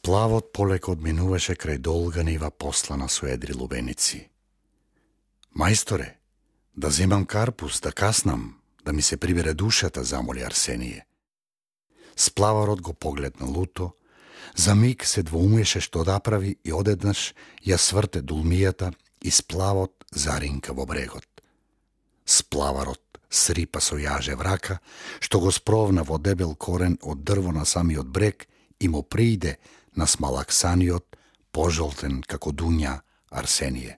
Сплавот полеко одминуваше крај долга нива послана со едри лубеници. Мајсторе, да земам карпус, да каснам, да ми се прибере душата, замоли Арсение. Сплаварот го погледна луто, за миг се двоумеше што да прави и одеднаш ја сврте дулмијата и сплавот заринка во брегот. Сплаварот срипа со јаже врака, што го спровна во дебел корен од дрво на самиот брег и му прииде на смалаксаниот, пожолтен како дуња Арсение.